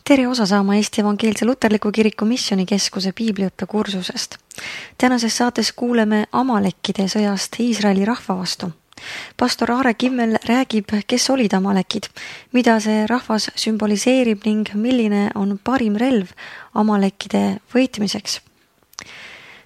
Tere osa saama Eesti Evangeelse Luterliku Kiriku Missioonikeskuse piibliõppe kursusest. Tänases saates kuuleme Amalekkide sõjast Iisraeli rahva vastu. Pastor Aare Kimmel räägib, kes olid Amalekid, mida see rahvas sümboliseerib ning milline on parim relv Amalekkide võitmiseks.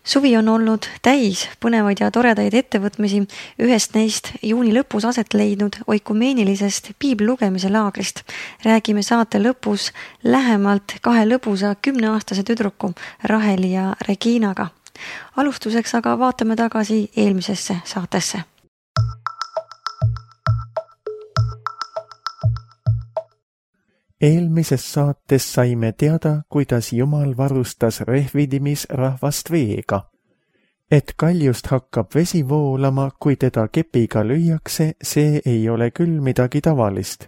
Suvi on olnud täis põnevaid ja toredaid ettevõtmisi, ühest neist juuni lõpus aset leidnud oikumeenilisest piiblugemise laagrist. Räägime saate lõpus lähemalt 2 lõbusa 10-aastase tüdruku Raheli ja Reginaga. Alustuseks aga vaatame tagasi eelmisesse saatesse. Eelmises saates saime teada, kuidas Jumal varustas Rehvidimis rahvast veega. Et kaljust hakkab vesi voolama, kui teda kepiga lüüakse, see ei ole küll midagi tavalist.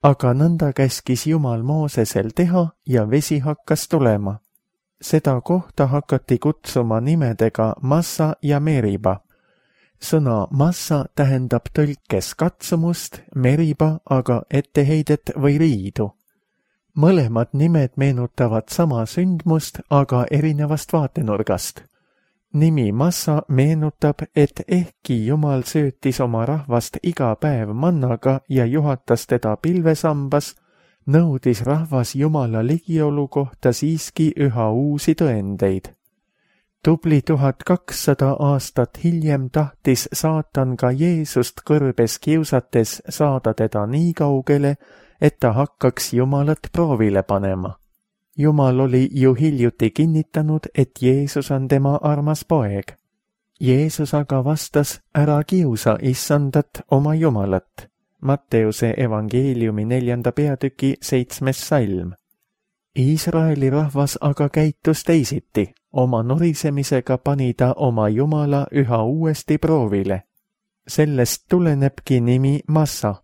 Aga nõnda käskis Jumal Moosesel teha ja vesi hakkas tulema. Seda kohta hakati kutsuma nimedega Massa ja Meriba. Sõna Massa tähendab tõlkes katsumust, Meriba aga etteheidet või riidu. Mõlemad nimed meenutavad sama sündmust, aga erinevast vaatenurgast. Nimi Massa meenutab, et ehkki Jumal söötis oma rahvast iga päev mannaga ja juhatas teda pilvesambas, nõudis rahvas Jumala ligiolu kohta siiski üha uusi tõendeid. Tubli 1200 aastat hiljem tahtis saatan ka Jeesust kõrbes kiusates saada teda nii kaugele, et ta hakkaks Jumalat proovile panema. Jumal oli ju hiljuti kinnitanud, et Jeesus on tema armas poeg. Jeesus aga vastas, ära kiusa issandat oma Jumalat. Matteuse evangeeliumi 4. peatüki 7. salm. Iisraeli rahvas aga käitus teisiti. Oma norisemisega pani ta oma Jumala üha uuesti proovile. Sellest tulenebki nimi Massa.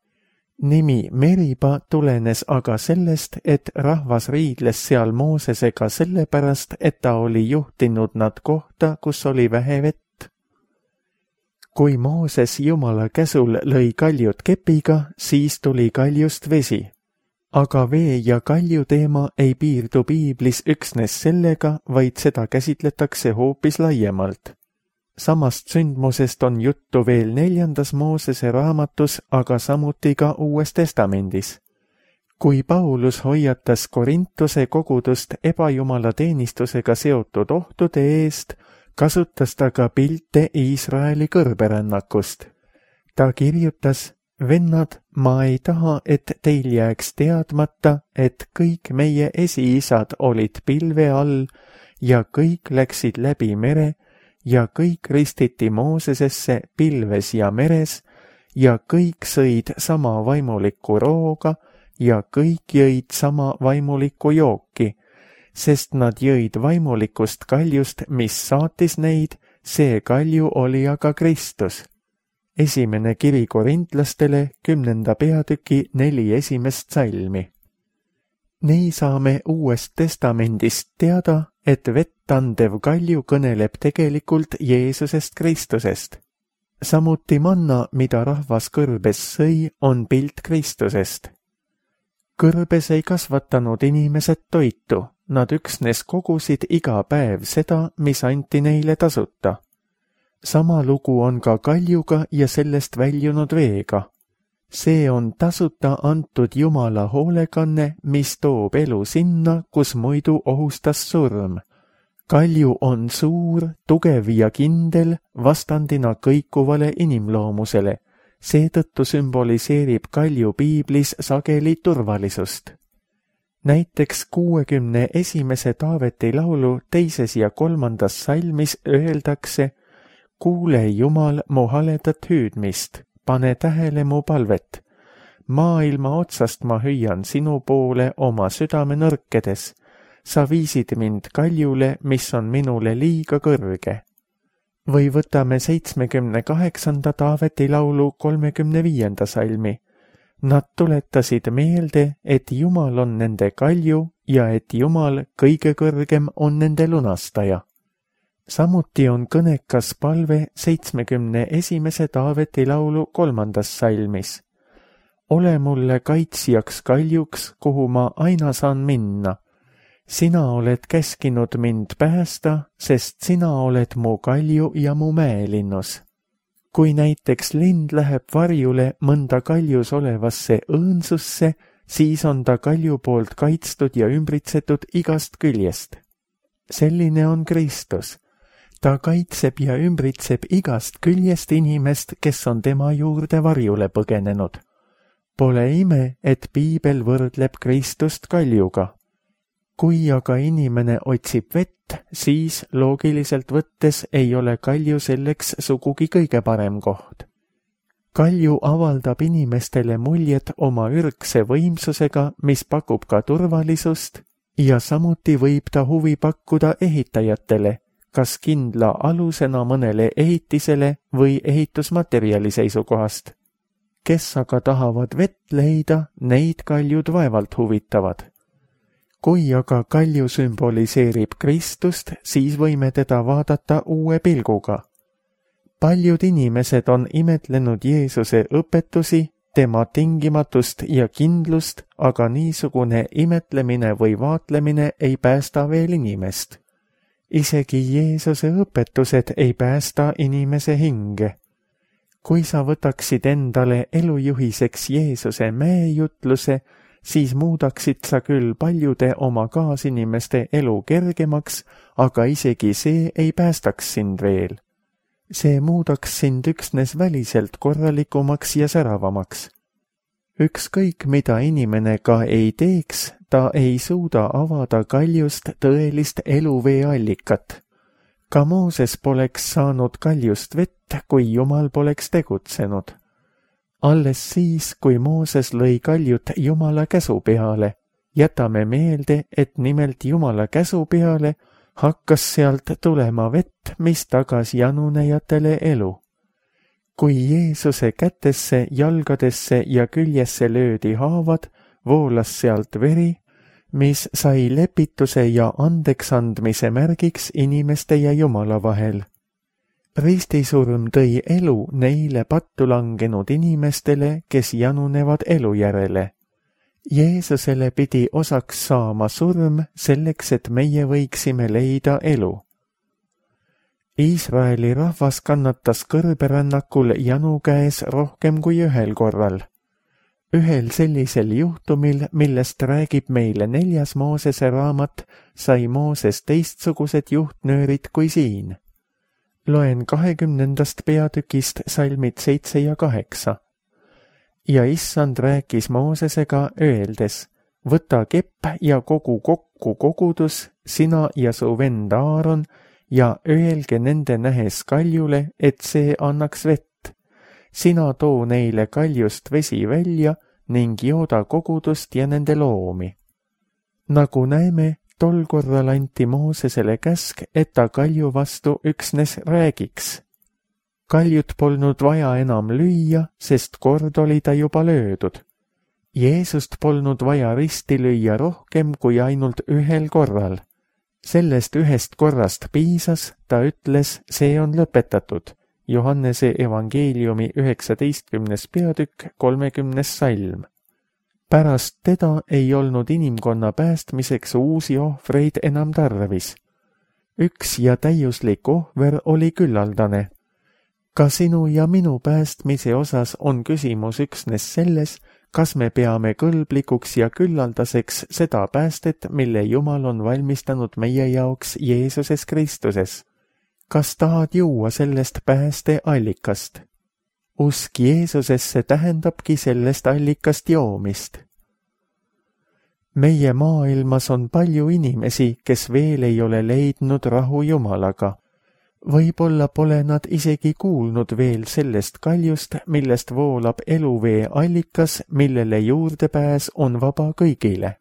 Nimi Meriba tulenes aga sellest, et rahvas riidles seal Moosesega sellepärast, et ta oli juhtinud nad kohta, kus oli vähe vett. Kui Mooses Jumala käsul lõi kaljut kepiga, siis tuli kaljust vesi. Aga vee ja kalju teema ei piirdu piiblis üksnes sellega, vaid seda käsitletakse hoopis laiemalt. Samast sündmusest on juttu veel 4. Moosese raamatus, aga samuti ka Uues Testamendis. Kui Paulus hoiatas Korintuse kogudust ebajumala teenistusega seotud ohtude eest, kasutas ta ka pilte Iisraeli kõrberännakust. Ta kirjutas, vennad, ma ei taha, et teil jääks teadmata, et kõik meie esiisad olid pilve all ja kõik läksid läbi mere, ja kõik ristiti Moosesesse pilves ja meres, ja kõik sõid sama vaimulikku rooga, ja kõik jõid sama vaimulikku jooki, sest nad jõid vaimulikust kaljust, mis saatis neid, see kalju oli aga Kristus. Esimene kiri korintlastele 10. peatüki 4. esimest salmi. Nii saame Uuest Testamendist teada, et vett andev kalju kõneleb tegelikult Jeesusest Kristusest. Samuti manna, mida rahvas kõrbes sõi, on pilt Kristusest. Kõrbes ei kasvatanud inimesed toitu, nad üksnes kogusid iga päev seda, mis anti neile tasuta. Sama lugu on ka kaljuga ja sellest väljunud veega. See on tasuta antud Jumala hoolekanne, mis toob elu sinna, kus muidu ohustas surm. Kalju on suur, tugev ja kindel, vastandina kõikuvale inimloomusele. Seetõttu sümboliseerib kalju piiblis sageli turvalisust. Näiteks 61. Taaveti laulu 2. ja 3. salmis öeldakse, kuule Jumal mu haledat hüüdmist, pane tähele mu palvet. Maailma otsast ma hüüan sinu poole oma südame nõrkedes. Sa viisid mind kaljule, mis on minule liiga kõrge. Või võtame 78. Taaveti laulu 35. salmi. Nad tuletasid meelde, et Jumal on nende kalju ja et Jumal kõige kõrgem on nende lunastaja. Samuti on kõnekas palve 71. Taaveti laulu 3. salmis. ole mulle kaitsjaks kaljuks, kuhu ma aina saan minna. Sina oled käskinud mind päästa, sest sina oled mu kalju ja mu mäelinnus. Kui näiteks lind läheb varjule mõnda kaljus olevasse õõnsusse, siis on ta kalju poolt kaitstud ja ümbritsetud igast küljest. Selline on Kristus. Ta kaitseb ja ümbritseb igast küljest inimest, kes on tema juurde varjule põgenenud. Pole ime, et piibel võrdleb Kristust kaljuga. Kui aga inimene otsib vett, siis loogiliselt võttes ei ole kalju selleks sugugi kõige parem koht. Kalju avaldab inimestele muljet oma ürgse võimsusega, mis pakub ka turvalisust, ja samuti võib ta huvi pakkuda ehitajatele, kas kindla alusena mõnele ehitisele või ehitusmaterjali seisukohast. Kes aga tahavad vett leida, neid kaljud vaevalt huvitavad. Kui aga kalju sümboliseerib Kristust, siis võime teda vaadata uue pilguga. Paljud inimesed on imetlenud Jeesuse õpetusi, tema tingimatust ja kindlust, aga niisugune imetlemine või vaatlemine ei päästa veel inimest. Isegi Jeesuse õpetused ei päästa inimese hinge. Kui sa võtaksid endale elujuhiseks Jeesuse mäejutluse, siis muudaksid sa küll paljude oma kaasinimeste elu kergemaks, aga isegi see ei päästaks sind veel. See muudaks sind üksnes väliselt korralikumaks ja säravamaks. Ükskõik, mida inimene ka ei teeks, ta ei suuda avada kaljust tõelist eluvee allikat. Ka Mooses poleks saanud kaljust vett, kui Jumal poleks tegutsenud. Alles siis, kui Mooses lõi kaljut Jumala käsu peale, jätame meelde, et nimelt Jumala käsu peale hakkas sealt tulema vett, mis tagas janunejatele elu. Kui Jeesuse kätesse, jalgadesse ja küljesse löödi haavad, voolas sealt veri, mis sai lepituse ja andeksandmise märgiks inimeste ja Jumala vahel. Ristisurm tõi elu neile pattu langenud inimestele, kes janunevad elu järele. Jeesusele pidi osaks saama surm selleks, et meie võiksime leida elu. Iisraeli rahvas kannatas kõrberännakul janu käes rohkem kui ühel korral. Ühel sellisel juhtumil, millest räägib meile 4. Moosese raamat, sai Mooses teistsugused juhtnöörid kui siin. Loen 20. peatükist salmid 7 ja 8. Ja issand rääkis Moosesega öeldes, võta kepp ja kogu kokku kogudus, sina ja su vend Aaron, ja öelge nende nähes kaljule, et see annaks vett. Sina too neile kaljust vesi välja ning jooda kogudust ja nende loomi. Nagu näeme, tol korral anti Moosesele käsk, et ta kalju vastu üksnes räägiks. Kaljut polnud vaja enam lüüa, sest kord oli ta juba löödud. Jeesust polnud vaja risti lüüa rohkem kui ainult ühel korral. Sellest ühest korrast piisas, ta ütles, see on lõpetatud. Johannese evangeeliumi 19. peatükk 30. salm. Pärast teda ei olnud inimkonna päästmiseks uusi ohvreid enam tarvis. Üks ja täiuslik ohver oli küllaldane. Ka sinu ja minu päästmise osas on küsimus üksnes selles, kas me peame kõlblikuks ja küllaldaseks seda päästet, mille Jumal on valmistanud meie jaoks Jeesuses Kristuses. Kas tahad juua sellest pääste allikast? Usk Jeesusesse tähendabki sellest allikast joomist. Meie maailmas on palju inimesi, kes veel ei ole leidnud rahu Jumalaga. Võib-olla pole nad isegi kuulnud veel sellest kaljust, millest voolab eluvee allikas, millele juurdepääs on vaba kõigile.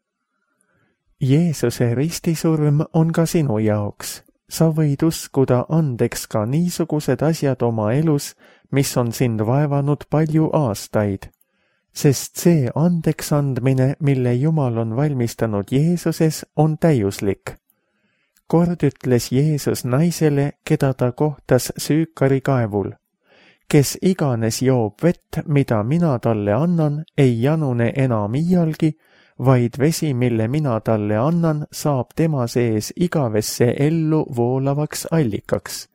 Jeesuse ristisurm on ka sinu jaoks. Sa võid uskuda andeks ka niisugused asjad oma elus, mis on sind vaevanud palju aastaid, sest see andeks andmine, mille Jumal on valmistanud Jeesuses, on täiuslik. Kord ütles Jeesus naisele, keda ta kohtas Süükari kaevul. kes iganes joob vett, mida mina talle annan, ei janune enam iialgi, vaid vesi, mille mina talle annan, saab tema sees igavesse ellu voolavaks allikaks.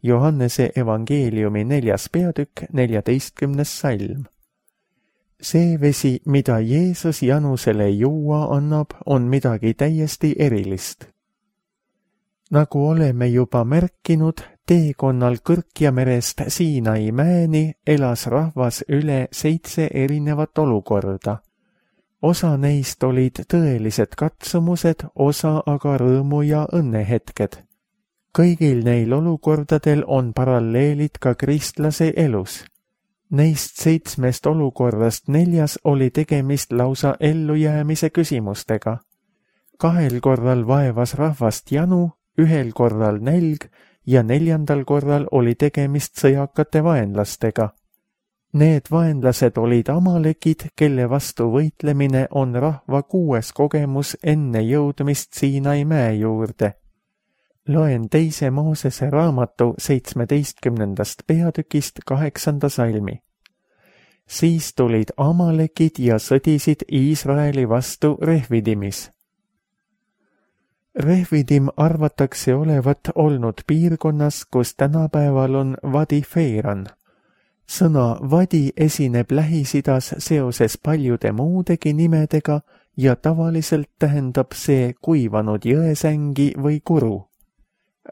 Johannese evangeeliumi 4. peatükk, 14. salm. See vesi, mida Jeesus Janusele juua annab, on midagi täiesti erilist. Nagu oleme juba märkinud, teekonnal Kõrkjamerest Siinai mäeni elas rahvas üle 7 erinevat olukorda. Osa neist olid tõelised katsumused, osa aga rõõmu ja õnnehetked. Kõigil neil olukordadel on paralleelid ka kristlase elus. Neist 7 olukorrast 4 oli tegemist lausa ellujäämise küsimustega. 2 korral vaevas rahvast janu, 1 korral nälg ja 4. korral oli tegemist sõjakate vaenlastega. Need vaenlased olid amalekid, kelle vastu võitlemine on rahva 6. kogemus enne jõudmist Siinai mäe juurde. Loen 2. Moosese raamatu 17. peatükist 8. salmi. Siis tulid amalekid ja sõdisid Iisraeli vastu Refidimis. Refidim arvatakse olevat olnud piirkonnas, kus tänapäeval on Vadi-Feiran. Sõna vadi esineb Lähis-Idas seoses paljude muudegi nimedega ja tavaliselt tähendab see kuivanud jõesängi või kuru.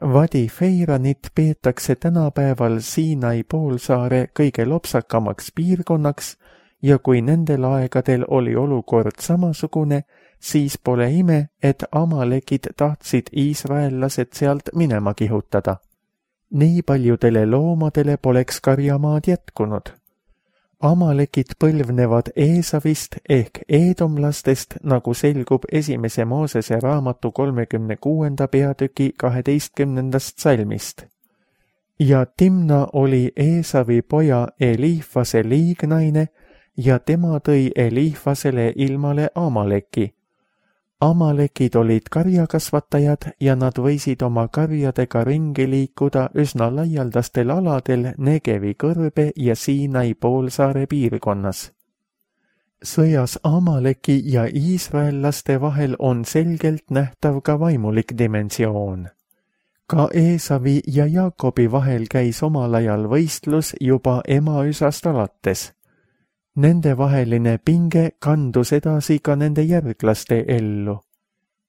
Vadi-Feiranit peetakse tänapäeval Siinai poolsaare kõige lopsakamaks piirkonnaks ja kui nendel aegadel oli olukord samasugune, siis pole ime, et amalekid tahtsid iisraellased sealt minema kihutada. Nii paljudele loomadele poleks karjamaad jätkunud. Amalekid põlvnevad Eesavist ehk eedomlastest, nagu selgub 1. Moosese raamatu 36. peatüki 12. salmist. Ja Timna oli Eesavi poja Eliifase liignaine ja tema tõi Eliifasele ilmale Amaleki. Amalekid olid karjakasvatajad ja nad võisid oma karjadega ringi liikuda üsna laialdastel aladel Negevi kõrbe ja Siinai poolsaare piirkonnas. Sõjas Amaleki ja iisraellaste vahel on selgelt nähtav ka vaimulik dimensioon. Ka Eesavi ja Jaakobi vahel käis omal ajal võistlus juba emaüsast alates. Nende vaheline pinge kandus edasi ka nende järglaste ellu.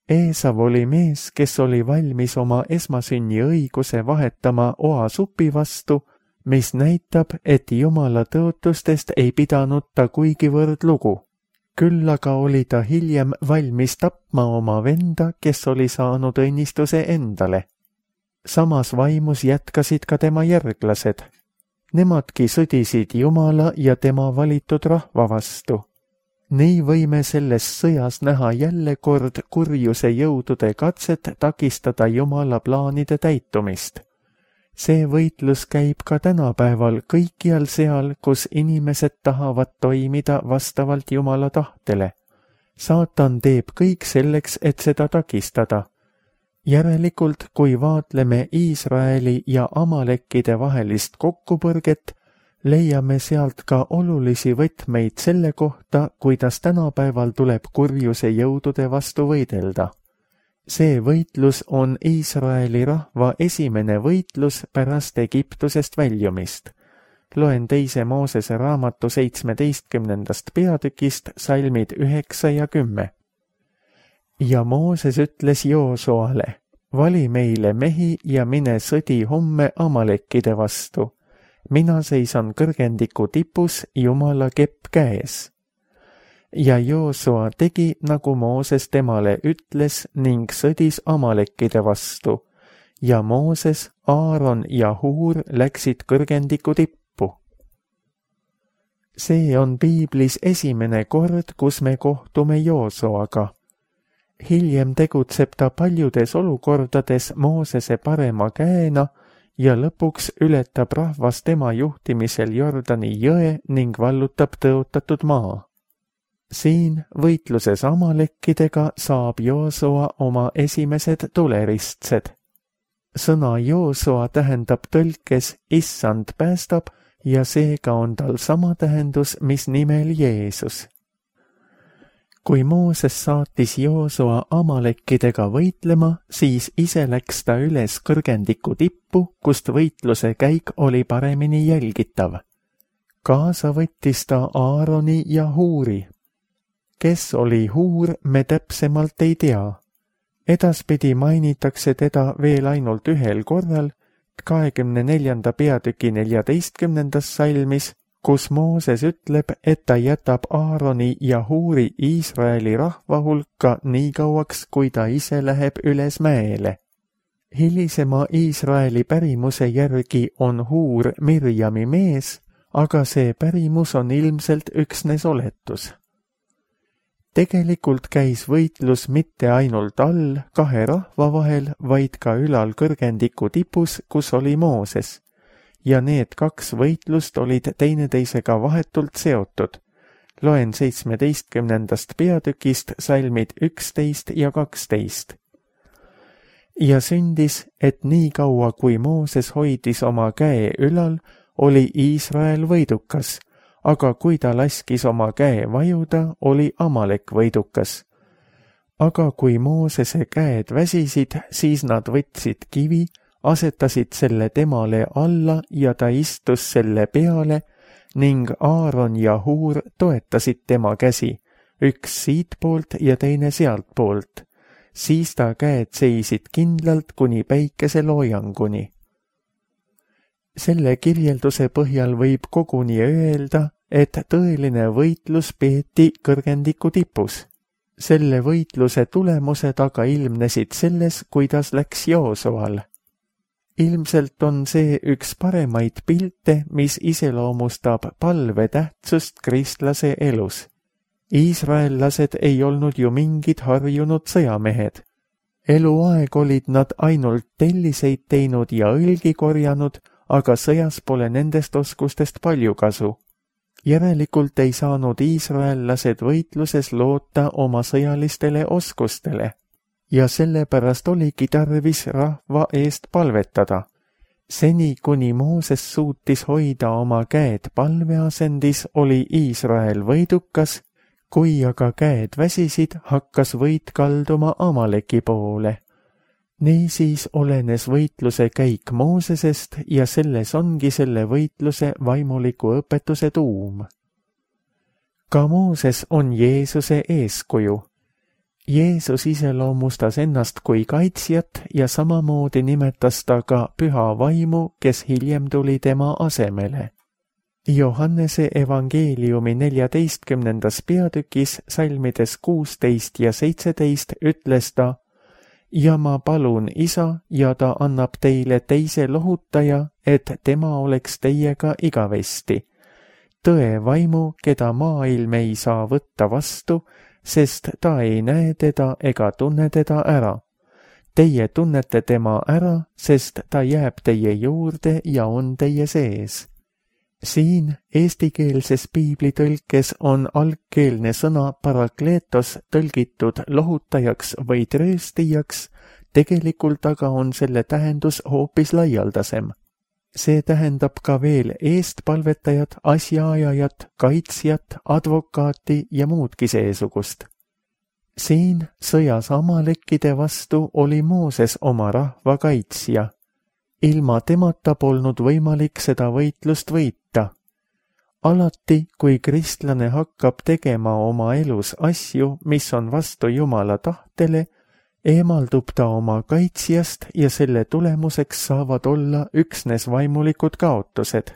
Eesav oli mees, kes oli valmis oma esmasünni õiguse vahetama oasupi vastu, mis näitab, et Jumala tõotustest ei pidanud ta kuigivõrd lugu. Küll aga oli ta hiljem valmis tapma oma venda, kes oli saanud õnnistuse endale. Samas vaimus jätkasid ka tema järglased. Nemadki sõdisid Jumala ja tema valitud rahva vastu. Nii võime selles sõjas näha jälle kord kurjuse jõudude katset takistada Jumala plaanide täitumist. See võitlus käib ka tänapäeval kõikjal seal, kus inimesed tahavad toimida vastavalt Jumala tahtele. Saatan teeb kõik selleks, et seda takistada. Järelikult, kui vaatleme Iisraeli ja amalekkide vahelist kokkupõrget, leiame sealt ka olulisi võtmeid selle kohta, kuidas tänapäeval tuleb kurjuse jõudude vastu võidelda. See võitlus on Iisraeli rahva esimene võitlus pärast Egiptusest väljumist. Loen 2. Moosese raamatu 17. peatükist salmid 9 ja 10. Ja Mooses ütles Joosuale, vali meile mehi ja mine sõdi homme amalekkide vastu. Mina seisan kõrgendiku tipus Jumala kepp käes. Ja Joosua tegi, nagu Mooses temale ütles ning sõdis amalekkide vastu. Ja Mooses, Aaron ja Huur läksid kõrgendiku tippu. See on piiblis esimene kord, kus me kohtume Joosuaga. Hiljem tegutseb ta paljudes olukordades Moosese parema käena ja lõpuks ületab rahvas tema juhtimisel Jordani jõe ning vallutab tõotatud maa. Siin võitluses amalekkidega saab Joosua oma esimesed tuleristsed. Sõna Joosua tähendab tõlkes Issand päästab ja seega on tal sama tähendus, mis nimel Jeesus. Kui Mooses saatis Joosua amalekkidega võitlema, siis ise läks ta üles kõrgendiku tippu, kust võitluse käik oli paremini jälgitav. Kaasa võttis ta Aaroni ja Huuri. Kes oli Huur, me täpsemalt ei tea. Edaspidi mainitakse teda veel ainult ühel korral, 24. peatüki 14. salmis, kus Mooses ütleb, et ta jätab Aaroni ja Huuri Iisraeli rahva hulka nii kauaks, kui ta ise läheb üles mäele. Hilisema Iisraeli pärimuse järgi on Huur Mirjami mees, aga see pärimus on ilmselt üksnes oletus. Tegelikult käis võitlus mitte ainult all kahe rahva vahel, vaid ka ülal kõrgendiku tipus, kus oli Mooses. Ja need kaks võitlust olid teineteisega vahetult seotud. Loen 17. peatükist salmid 11 ja 12. Ja sündis, et nii kaua kui Mooses hoidis oma käe ülal, oli Iisrael võidukas, aga kui ta laskis oma käe vajuda, oli Amalek võidukas. Aga kui Moosese käed väsisid, siis nad võtsid kivi, asetasid selle temale alla ja ta istus selle peale ning Aaron ja Huur toetasid tema käsi, üks siitpoolt ja teine sealtpoolt. Siis ta käed seisid kindlalt kuni päikeseloojanguni. Selle kirjelduse põhjal võib koguni öelda, et tõeline võitlus peeti kõrgendiku tipus. Selle võitluse tulemused aga ilmnesid selles, kuidas läks Joosual. Ilmselt on see üks paremaid pilte, mis iseloomustab palve tähtsust kristlase elus. Iisraellased ei olnud ju mingid harjunud sõjamehed. Eluaeg olid nad ainult telliseid teinud ja õlgi korjanud, aga sõjas pole nendest oskustest palju kasu. Järelikult ei saanud iisraellased võitluses loota oma sõjalistele oskustele ja sellepärast oligi tarvis rahva eest palvetada. Seni, kuni Mooses suutis hoida oma käed palveasendis, oli Iisrael võidukas, kui aga käed väsisid, hakkas võit kalduma Amaleki poole. Niisiis olenes võitluse käik Moosesest ja selles ongi selle võitluse vaimuliku õpetuse tuum. Ka Mooses on Jeesuse eeskuju. Jeesus iseloomustas ennast kui kaitsjat ja samamoodi nimetas ta ka püha vaimu, kes hiljem tuli tema asemele. Johannese evangeeliumi 14. peatükis salmides 16 ja 17 ütles ta: ja ma palun Isa ja ta annab teile teise lohutaja, et tema oleks teiega igavesti. Tõe vaimu, keda maailm ei saa võtta vastu, sest ta ei näe teda ega tunne teda ära. Teie tunnete tema ära, sest ta jääb teie juurde ja on teie sees. Siin eestikeelses piiblitõlkes on algkeelne sõna parakleetos tõlgitud lohutajaks või trööstijaks, tegelikult aga on selle tähendus hoopis laialdasem. See tähendab ka veel eestpalvetajat, asjaajajat, kaitsjat, advokaati ja muudki seesugust. Siin sõjas amalekkide vastu oli Mooses oma rahva kaitsja. Ilma temata polnud võimalik seda võitlust võita. Alati, kui kristlane hakkab tegema oma elus asju, mis on vastu Jumala tahtele, eemaldub ta oma kaitsjast ja selle tulemuseks saavad olla üksnes vaimulikud kaotused.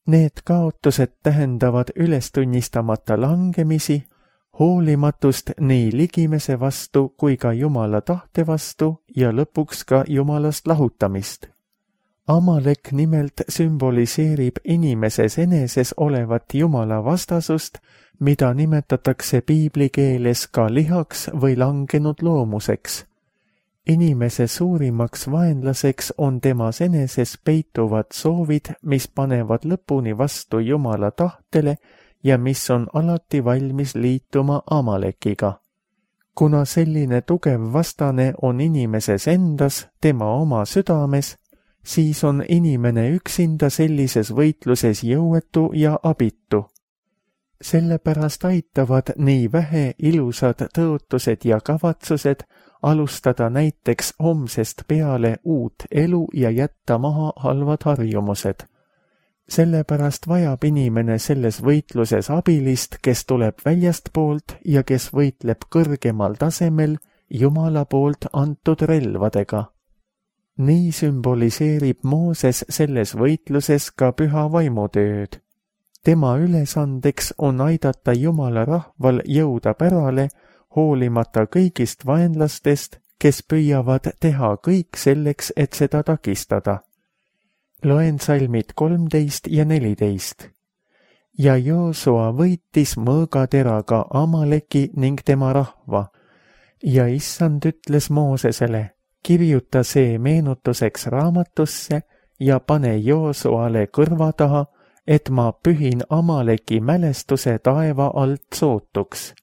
Need kaotused tähendavad ülestunnistamata langemisi, hoolimatust nii ligimese vastu kui ka Jumala tahte vastu ja lõpuks ka Jumalast lahutamist. Amalek nimelt sümboliseerib inimeses eneses olevat Jumala vastasust, mida nimetatakse piiblikeeles ka lihaks või langenud loomuseks. Inimese suurimaks vaenlaseks on temas eneses peituvad soovid, mis panevad lõpuni vastu Jumala tahtele ja mis on alati valmis liituma Amalekiga. Kuna selline tugev vastane on inimeses endas, tema oma südames, siis on inimene üksinda sellises võitluses jõuetu ja abitu. Sellepärast aitavad nii vähe ilusad tõotused ja kavatsused alustada näiteks homsest peale uut elu ja jätta maha halvad harjumused. Sellepärast vajab inimene selles võitluses abilist, kes tuleb väljastpoolt ja kes võitleb kõrgemal tasemel Jumala poolt antud relvadega. Nii sümboliseerib Mooses selles võitluses ka püha vaimutööd. Tema ülesandeks on aidata Jumala rahval jõuda pärale, hoolimata kõigist vaenlastest, kes püüavad teha kõik selleks, et seda takistada. Loen salmid 13 ja 14. Ja Joosua võitis mõõgateraga Amaleki ning tema rahva. Ja issand ütles Moosesele, kirjuta see meenutuseks raamatusse ja pane Joosuale kõrva taha, et ma pühin Amaleki mälestuse taeva alt sootuks.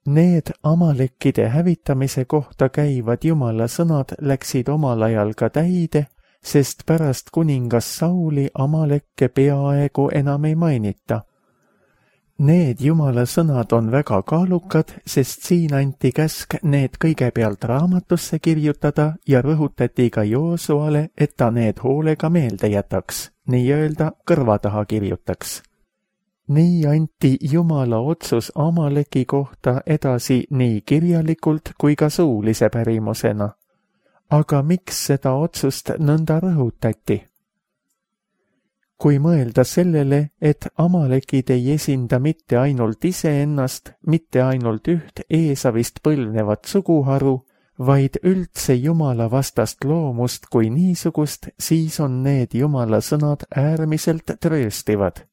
Need Amalekide hävitamise kohta käivad Jumala sõnad läksid omal ajal ka täide, sest pärast kuningas Sauli Amalekke peaaegu enam ei mainita. Need Jumala sõnad on väga kaalukad, sest siin anti käsk need kõigepealt raamatusse kirjutada ja rõhutati ka Joosuale, et ta need hoolega meelde jätaks, nii-öelda kõrva taha kirjutaks. Nii anti Jumala otsus Amaleki kohta edasi nii kirjalikult kui ka suulise pärimusena. Aga miks seda otsust nõnda rõhutati? Kui mõelda sellele, et Amalekid ei esinda mitte ainult iseennast, mitte ainult üht Eesavist põlvnevat suguharu, vaid üldse Jumala vastast loomust kui niisugust, siis on need Jumala sõnad äärmiselt trööstivad.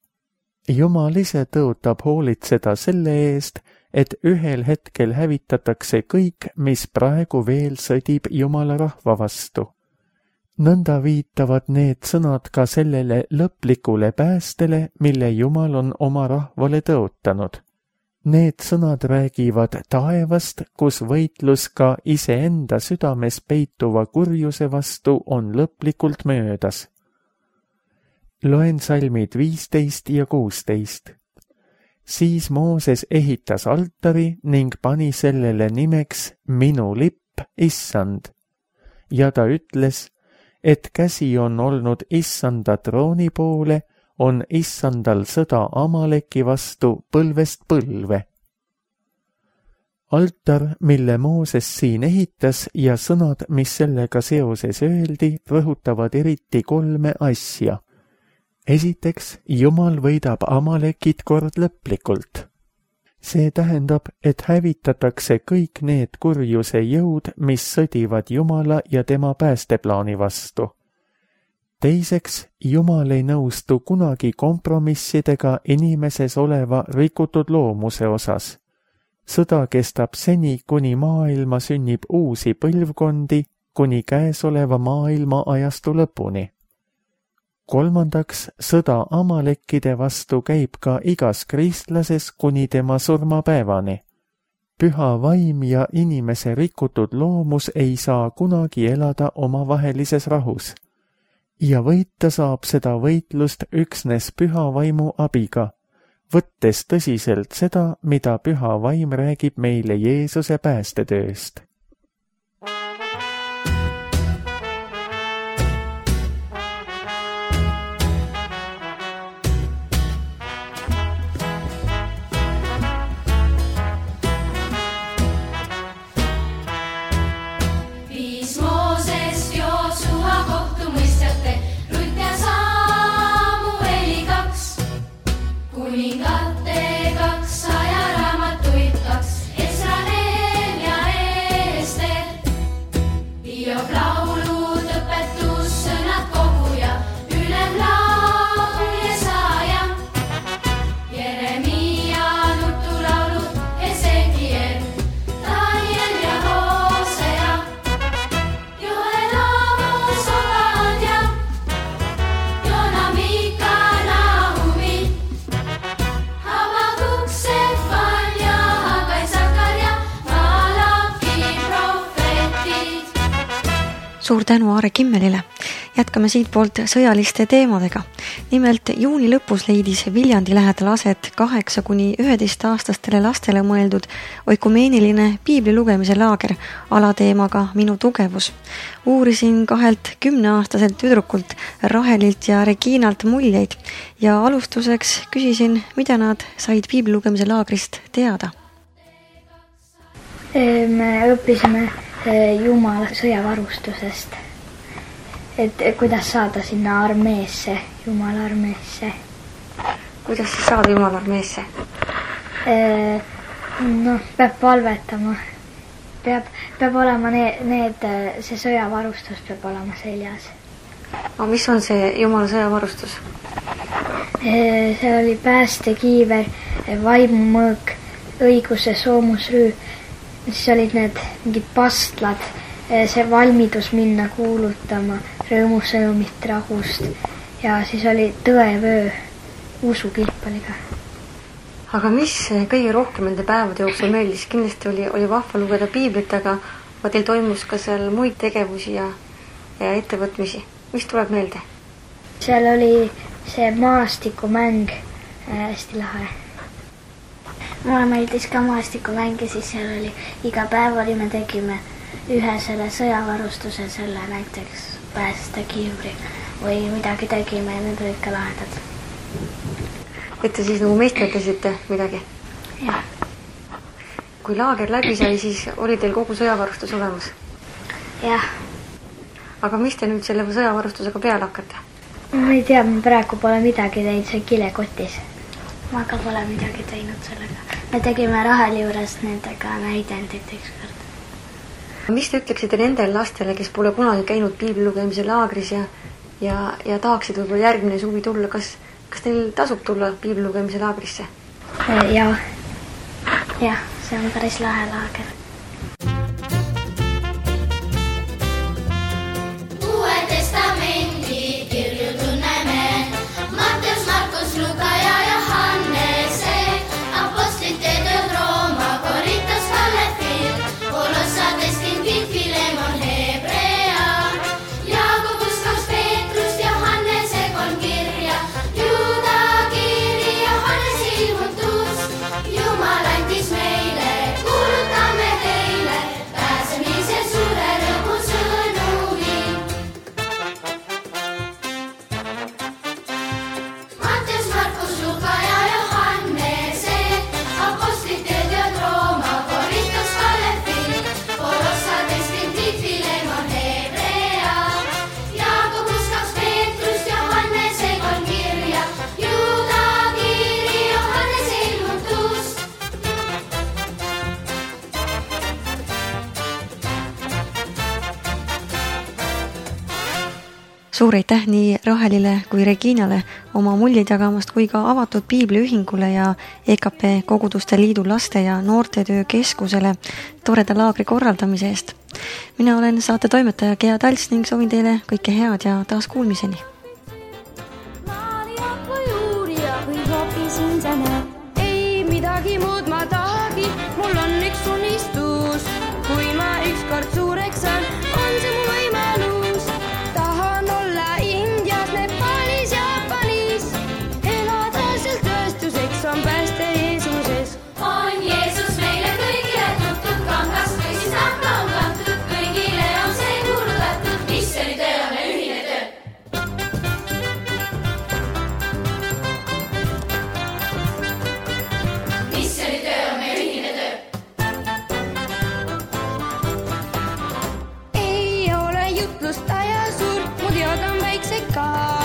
Jumal ise tõotab hoolitseda selle eest, et ühel hetkel hävitatakse kõik, mis praegu veel sõdib Jumala rahva vastu. Nõnda viitavad need sõnad ka sellele lõplikule päästele, mille Jumal on oma rahvale tõotanud. Need sõnad räägivad taevast, kus võitlus ka iseenda südames peituva kurjuse vastu on lõplikult möödas. Loen salmid 15 ja 16. Siis Mooses ehitas altari ning pani sellele nimeks minu lipp, issand. Ja ta ütles, et käsi on olnud issanda trooni poole, on issandal sõda Amaleki vastu põlvest põlve. Altar, mille Mooses siin ehitas ja sõnad, mis sellega seoses öeldi, rõhutavad eriti 3 asja. Esiteks, Jumal võidab Amalekid kord lõplikult. See tähendab, et hävitatakse kõik need kurjuse jõud, mis sõdivad Jumala ja tema päästeplaani vastu. Teiseks, Jumal ei nõustu kunagi kompromissidega inimeses oleva rikutud loomuse osas. Sõda kestab seni, kuni maailma sünnib uusi põlvkondi, kuni käesoleva maailma ajastu lõpuni. Kolmandaks, sõda Amalekide vastu käib ka igas kristlases kuni tema surmapäevani. Püha vaim ja inimese rikutud loomus ei saa kunagi elada omavahelises rahus. Ja võita saab seda võitlust üksnes püha vaimu abiga, võttes tõsiselt seda, mida püha vaim räägib meile Jeesuse päästetööst. Kuningate 200 raamatuid, 2 Esra, Nehemia, suur tänu Aare Kimmelile. Jätkame siitpoolt sõjaliste teemadega. Nimelt juuni lõpus leidis Viljandi lähedal aset 8–11-aastastele lastele mõeldud oikumeeniline piibli lugemise laager alateemaga Minu tugevus. Uurisin 2 10-aastaselt tüdrukult Rahelilt ja Reginalt muljeid ja alustuseks küsisin, mida nad said piibli lugemise laagrist teada. Me õppisime Jumala sõjavarustusest, et kuidas saada sinna armeesse, Jumala armeesse. Kuidas siis saada Jumala armeesse? Peab palvetama, peab olema see sõjavarustus peab olema seljas. Aga mis on see Jumala sõjavarustus? See oli päästekiiver, vaimumõõk, õiguse soomusrüü, siis olid need mingid pastlad, see valmidus minna kuulutama rõõmusõnumit rahust ja siis oli tõevöö, usukilp oli ka. Aga mis kõige rohkem nende päevade jooksul meeldis? Kindlasti oli vahva lugeda piiblit, aga teil toimus ka seal muid tegevusi ja ettevõtmisi. Mis tuleb meelde? Seal oli see maastikumäng hästi lahe. Mulle meeldis ka maastikumäng ja siis seal oli iga päev me tegime ühe selle sõjavarustuse, selle näiteks päästekiivri või midagi tegime ja need olid ka lahedad. Et te siis nagu meisterdasite midagi? Jah. Kui laager läbi sai, siis oli teil kogu sõjavarustus olemas? Jah. Aga mis te nüüd selle sõjavarustusega peale hakkate? Ma ei tea, ma praegu pole midagi teinud, see kilekotis. Ma ka pole midagi teinud sellega. Me tegime Raheli juures nendega näidendit ükskord. Mis te ütleksite nendel lastele, kes pole kunagi käinud piibli lugemise laagris ja tahaksid võib-olla järgmine suvi tulla? Kas teil tasub tulla piibli lugemise laagrisse? Jah, see on päris lahe laager. Suur aitäh nii Rahelile kui Reginale oma muljeid jagamast kui ka avatud piibliühingule ja EKP Koguduste Liidu laste- ja noortetöö keskusele toreda laagri korraldamise eest. Mina olen saate toimetaja Gea Talts ning soovin teile kõike head ja taas kuulmiseni. Ei midagi muud ma tahagi, mul on üks unistus. Kui ma ükskord suureks saan, on see mu võimalus. Tahan olla Indias, Nepalis, Jaapanis. Elada seal tööstuseks on pääste Jeesuses. On Jeesus meile kõigile tuntud, kangast või siis nahka on kantud. Kõigile on see kuulutatud, missioonitöö on meil ühine töö. Ei ole jutlustaja suur, mu teod on väiksed ka.